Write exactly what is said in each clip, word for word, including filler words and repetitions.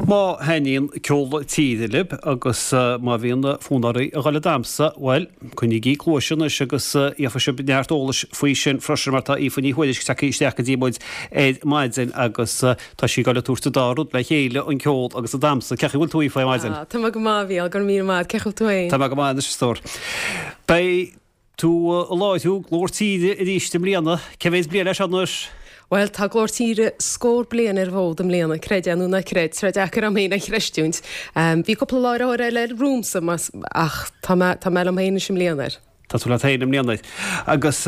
Má thaitníonn ceol tíre libh agus má bhíonn fonn oraibh a dhul ag damhsa, bhuel, coinnígí cluais anois agus gheobhaidh sibh neart eolais faoi sin freisin mar tá Aoife Ní Thuairisg tagtha isteach go dtí muid ar maidin agus tá sí ag dul ag tabhairt an dá rud le chéile, an ceol agus an damhsa. Cén chaoi a bhfuil tú Aoife ar maidin? Tá mé go maith, a Mhícheáil, go raibh míle maith. Cén chaoi a bhfuil tú féin? Tá mé go maith anois a stór. Beidh tú ag láithriú Glór Tíre arís i mbliana. Cé mhéad bliain é seo anois? Bhuel, tá Glór Tíre scór bliain ar an bhfód i mbliana, creid é nó ná creid, tá sé deacair agam féin a chreistiúint. Bhí cúpla láithreoir eile romhamsa ach tá mé, tá mé liom féin anois i mbliana air. Tá tú leat féin i mbliana air. Agus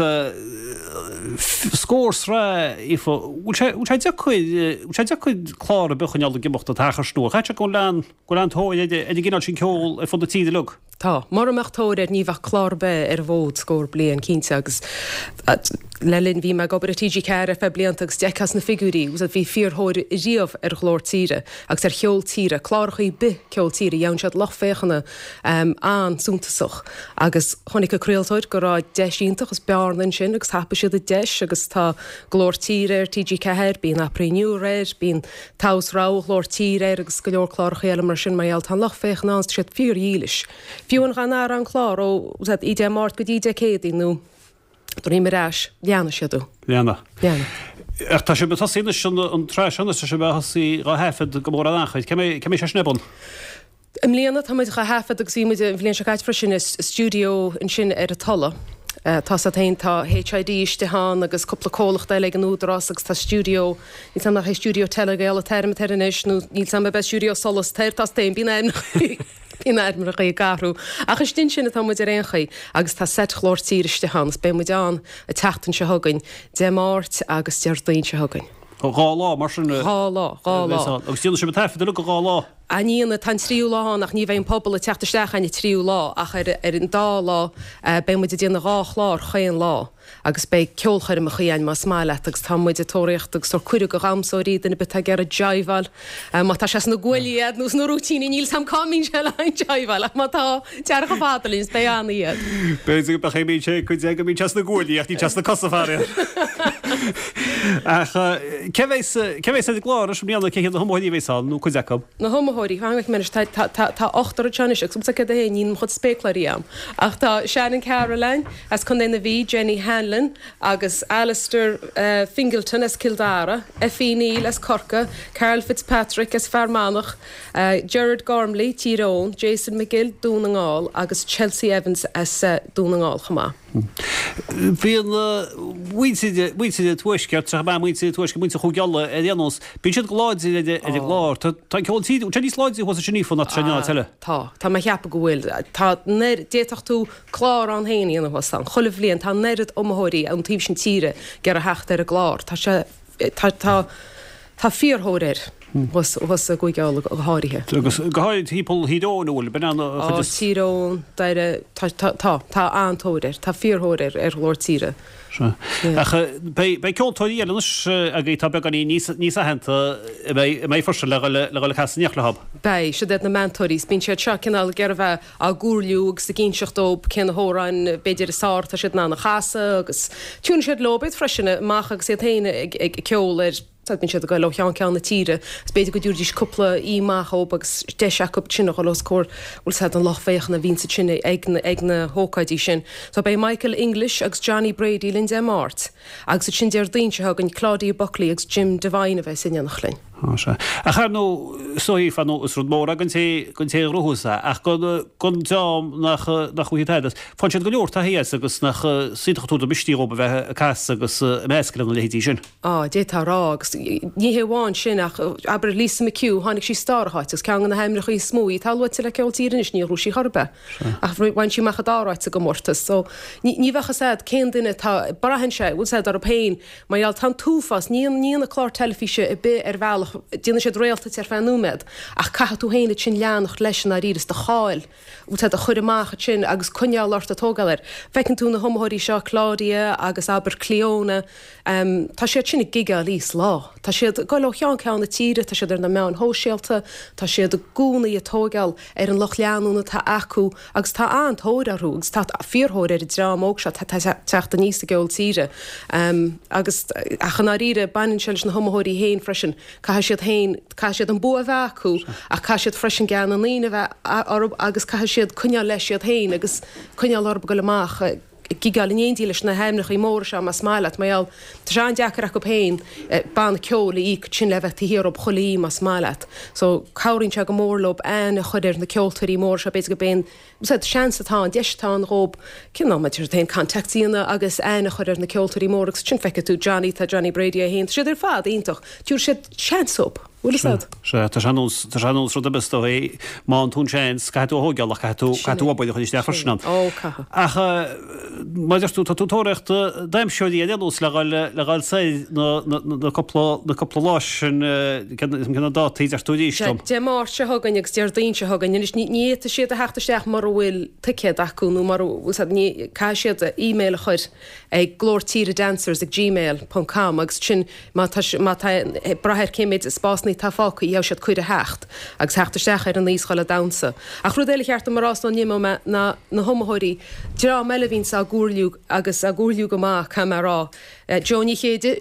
scór sraith, Aoife, bhfuil sé, bhfuil sé deacair, bhfuil sé deacair clár ar bith a choinneáil ag imeacht an t-achar sin nó caithfidh sé go bhfuil an, go bhfuil an-tóir ar an gcineál sin ceoil ar fud na tíre uilig? Tá. Mura mbeadh tóir air ní bheadh clár ar bith ar an bhfód scór bliain, cinnte, agus le linn, bhí mé ag obair i T G ceathair ar feadh blianta agus d'fheicfeá sna figiúirí, bhí fíorthóir riamh ar Ghlór Tíre agus ar cheol tíre, cláracha ar bith ceol tíre, gheobhann siad lucht féachana an-suntasach agus chonaic an craoltóir go raibh deis iontach agus bearna ansin agus thapaigh siad an deis agus tá Glór Tíre ar T G ceathair, bíonn Abair Inniu air, bíonn Togha is Rogha Ghlór Tíre air agus go leor cláracha eile mar sin mar gheall tá an lucht féachana ann, tá siad fíordhílis. Fiú an dá n-athródh an clár ó oíche Dé Máirt go dtí Dé Céadaoin nó droim ar ais, leanfaidh siad thú. Leanfaidh. Leanfaidh. Ach tá sibh ag tosaí anois an tsraith seo anois, tá sibh ag tosaí dhá thaifead go mór an achair. Cé mbeidh sé sin ar bun? I mbliana tá muid dhá thaifead agus bhí muid an bhliain seo caite freisin i stiúideo ansin ar an Tulaigh. Tá 's agat féin, tá H I D istigh ann agus cúpla comhlacht eile ag an Údarás agus tá stiúideo, níl 's agam nach é Stiúideo Telegael an t-ainm atá air anois nó níl 's agam ab é Stiúideo Solas atá air, tá 's agat féin, bíonn ainmneacha, bíonn ainmneacha ag athrú. Ach istigh ansin atá muid ar aon chaoi agus tá seit Ghlór Tíre istigh ann agus beidh muid ann an tseachtain seo chugainn, Dé Máirt agus Déardaoin seo chugainn. Dhá lá mar sin? Dhá lá, dhá lá. Agus déanann sibh an taifead uilig dhá lá? Á ní dhéanfaidh, tá an tríú lá ann ach ní bheidh an pobal ag teacht isteach an tríú lá ach ar ar an dá lá beidh muid ag déanamh dhá chlár chaon lá agus beidh ceolchoirmeacha ann más maith leat agus tá muid ag tóraíocht agus tabhairt cuireadh do dhamhsóirí, duine ar bith atá ag iarraidh jiveáil má tá sé sna guaillí agat nó sna rúitíní níl 's a'm cá mbíonn sé le haghaidh jiveáil ach má tá tar chomh fada linn is beidh ann iad. B'fhéidir go mbeadh sé cuid de go mbíonn sé sna guaillí ach níl sé sna cosa faraor. Ach cé bheas cé bheas ar an gclár anois i mbliana, cé hiad na hiomaitheoirí a bheas ann nó cuid acu? Na hiomaitheoirí, fan go bhfeicfidh mé anois, tá tá tá tá ochtar anseo anois agus is céard é féin, níl mo chuid spéacláirí a'm. Ach tá Shannon Carolan as Contae na Mí, Jenny Hanlon agus Alistair Fingleton as Cill Dara, Effie Neill as Corcaigh, Karl Fitzpatrick as Fear Manach, Gerard Gormley, Tír Eoghain, Jason McGill, Dún na nGall agus Chelsea Evans as Dún na nGall chomh maith. Bíonn muintir muintir an Tuaiscirt, tá muintir an Tuaiscirt, muintir Chúige Uladh ar aon nós, bíonn siad go láidir ar an gclár. Tá an ceol tíre, tá níos láidre thuas ansin Aoife ná tá sé in áit eile. Tá, tá mé a cheapadh go bhfuil. Tá, d'fhéadfadh tú clár ann féin a dhéanamh thuas ann. Chuile bhliain tá an oiread iomaitheoirí ón taobh sin tíre ag iarraidh theacht ar an gclár. Tá sé, tá, tá, tá fíorthóir air thuas, thuas i gCúige Uladh go háirithe. Agus go háirithe timpeall Thír Eoghain, an bhfuil, b'in an chuid is. Ó, Tír Eoghain, Doire, tá, tá, tá, tá an-tóir air, tá fíorthóir air, ar Ghlór Tíre. Sea. Ach beidh, beidh ceoltóirí eile anois agaibh atá beagáinín níos, níos aitheanta a mbeidh, a mbeidh freisin le dhul, le dhul ag casadh in éineacht leo. Beidh, siad iad na meantóirí, is bíonn siad seo cineál ag iarraidh a bheith á gcomhairliú agus ag inseacht dóibh cé na hamhráin b'fhéidir is fearr atá siad in ann a chasadh agus tiúnfaidh siad leo iad freisin amach agus iad féin ag ceol ar bíonn siad ag dul ó cheann ceann na tíre is b'fhéidir go dtabharfaidís cúpla aoi maith dhóibh agus deis acu sin a dhul os comhair bhfuil 's a'd an lucht féachana a bhíonn ansin ag ag na hócáidí sin. So beidh Michael English agus Johnny Brady linn Dé Máirt agus ansin Déardaoin seo chugainn Claudia Buckley agus Jim Devine a bheas in éineacht linn. Á, sea. Ach ar ndóigh, is dóigh, ar ndóigh, is rud mór é don té, don té a ghnóthós é, ach don, don dream nach, nach bhfaighidh tada as. Faigheann siad go leor taithí as agus nach iontach an t-údar misnigh dhóibh a bheith ag casadh agus ag meascadh lena leithéidí sin. Á, d'fhéadfá a rá, agus ní hé amháin sin ach, abair, Lisa McHugh, tháinig sí sa dara háit agus ceann de na hainmneacha is mó í atá luaite le ceol tíre anois, níor ghnóthaigh sí chor ar bith. Ach bhain sí amach an dara háit sa gcomórtas. So, ní, ní bheadh fhios a'd cén duine atá, braitheann sé, bhfuil 's a'd orthu féin, Mar gheall, tá an t-uafás, ní ní na cláir teilifíse ar bith ar bhealach, déanann siad réalta díot ar feadh nóiméad, ach caithfidh tú féin ansin leanacht leis i ndáiríre is do cháil, bhfuil 's a'd, a chur amach ansin agus coinneáil ort ag tógáil air. Feiceann tú na hiomaitheoirí seo, Claudia agus abair Clíona, tá siad sin ag gigeáil oíche is lá. Tá siad ag dul ó cheann ceann na tíre, tá siad ar na meáin shóisialta, tá siad i gcónaí ag tógáil ar an lucht leanúna atá acu agus tá an-tóir orthu agus tá fíorthóir ar an dream óg seo atá ag teacht aníos sa gceol tíre. Agus, ach i ndáiríre, baineann sé leis na hiomaitheoirí féin freisin, caithfidh Caithfidh siad féin, caithfidh siad an bua a bheith acu ach caithfidh siad freisin gean na ndaoine a bheith orthu agus caithfidh siad coinneáil leis iad féin agus coinneáil orthu ag goil amach ag gigeáil in éindí leis na hainmneacha móra seo más maith leat, mar gheall tá sé an-deacair acu féin banna ceoil a íoc ansin le bheith taobh thiar dhób chuile oíche más maith leat. So cabhraíonn sé go mór leo aithne a chur ar na ceoltóirí móra seo, b'fhéidir go b'é an seans atá ann, deis atá ann dhób cineál mar deir tú féin contacts a dhéanamh agus aithne a chur ar na ceoltóirí móra agus ansin feicfidh tú Johnny, tá Johnny Brady é féin, tá siad ar fad iontach, tabharfaidh siad seans dhób, bhfuil fhios a'd? Sea, tá sé ar nós, tá sé ar nós rud ar bith is dóigh, má fhaigheann tú an seans, caithfidh tú a thógáil ach caithfidh tú, caithfidh tú obair a chur isteach freisin ann. Ó, caithfidh. Ach mar a deir tú, tá tú ag tóraíocht damhsóirí ar aon nós le dhul, le dhul soir na, na, na cúpla, na cúpla lá sin, cén, cén na dátaí a deir tú arís dom? Dé Máirt seo chugainn agus Déardaoin seo chugainn. Anois ní, ní fhéadfaidh siad a theacht isteach mura bhfuil ticéad acu nó mura bhfuil siad, ní, caithfidh siad email a chur ag glór tíre dancers ag gmail ponc com agus sin má tá, má tá, ag brath ar cé méid spásanna atá fágtha gheobhaidh siad cuireadh theacht agus theacht isteach ar an oíche 's dhul ag damhsa. Ach rud eile cheart dom a rá sula n-imeoidh mé ná na hiomaitheoirí, dream eile a bhíonns á gcomhairliú agus á gcomhairliú go maith, caithfidh mé a rá, Joe Ní Chéide,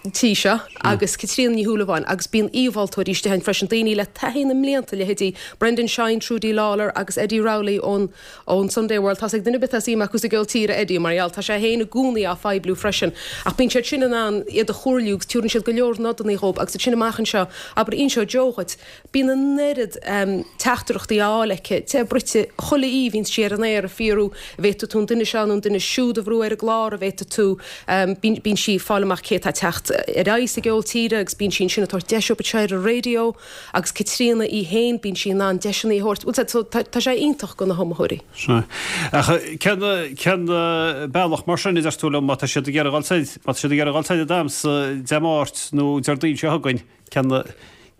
tí seo agus Caitríona Ní Shúilleabháin agus bíonn aoimholtóirí istigh ann freisin, daoine le taithí na mblianta, leithéidí Brendan Shine, Trudi Lawlor agus Eddie Rowley ón ón Sunday World. Tá's ag duine ar bith atá suim acu sa gceol tíre Eddie mar gheall, tá sé féin i gcónaí á phoibliú freisin. Ach bíonn siad sin in ann iad a chomhairliú agus tabharann siad go leor nodanna dhóibh agus ansin amach anseo, abair, inseoidh Joe dhuit, Bíonn an oiread teachtaireachtaí á fháil aici, te bruite, chuile oíche bhíonn sí ar an aer ag fiafraí an bhféadfaidh tú an duine seo nó an duine siúd a bhrú ar an gclár, an bhféadfaidh tú, bíonn sí ag fáil amach cé atá ag teacht ar aghaidh sa gceol tíre agus bíonn sí ansin ag tabhairt deis dóibh anseo ar an raidió agus Caitríona í féin, bíonn sí in ann deiseanna a thabhairt, bhuel so tá sé iontach do na hiomaitheoirí. Sea. Ach cén, cén bealach mar sin a deir tú liom, má tá siad ag iarraidh dhul soir, má tá siad ag iarraidh dhul soir ag damhsa Dé Máirt nó Déardaoin seo chugainn, cén,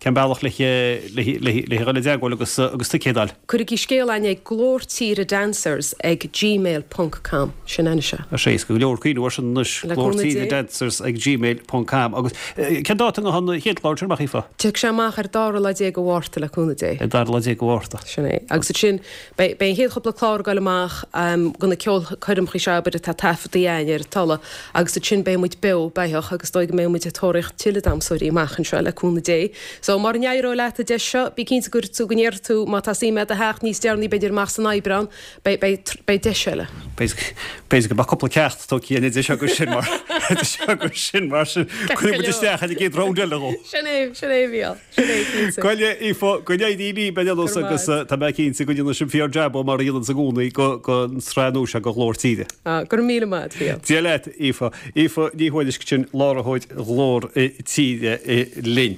Cén bealach le dhul i dteagmháil agus agus ticéad a fháil? Cuirigí scéal chugainn ag glór tíre dancers ag gmail ponc com. Sin anois é. Tá sé éasca go leor cuimhniú air sin anois, Le glór cúnamh tíre Dé. dancers ag gmail ponc com. Agus cén dáta an chéad chlár sin amach, Aoife? Tiocfaidh sé amach ar dara lá déag de Mhárta le cúnamh Dé. Ar dara lá déag de Mhárta. Sin é. Agus ansin beidh beidh an chéad chúpla clár ag dul amach de na ceolchoirmeacha seo abair atá taifeadta againn ar an tole agus ansin beidh muid beo beathach agus is dóigh go mbeidh muid ag tóraíocht tuilleadh damhsóirí amach anseo le cúnamh Dé. So, mura n-éireoidh leat an deis seo, bí cinnte go tú go ndéarfaidh tú má tá suim agat a theacht níos deireanaí b'fhéidir amach san Aibreán, beidh, beidh, beidh deis eile. B'fhéidir go mbeadh cúpla ceacht tógtha againn idir seo agus sin mar, idir seo agus sin mar sin, cuirfidh muid isteach ar an gcéad round eile dhó. Sin é, sin é a Mhícheáil, sin é cinnte. Bhuel a Aoife, go n-éirí libh ar aon nós agus tá mé cinnte go ndéanfaidh sibh fíor-jab mar a dhéanann sibh i gcónaí don tsraith nua seo de Ghlór Tíre. Ah, go raibh míle maith agat, a Mhícheáil. Dia leat, Aoife. Aoife Ní Thuairisg sin, láithreoir Ghlór Tíre linn.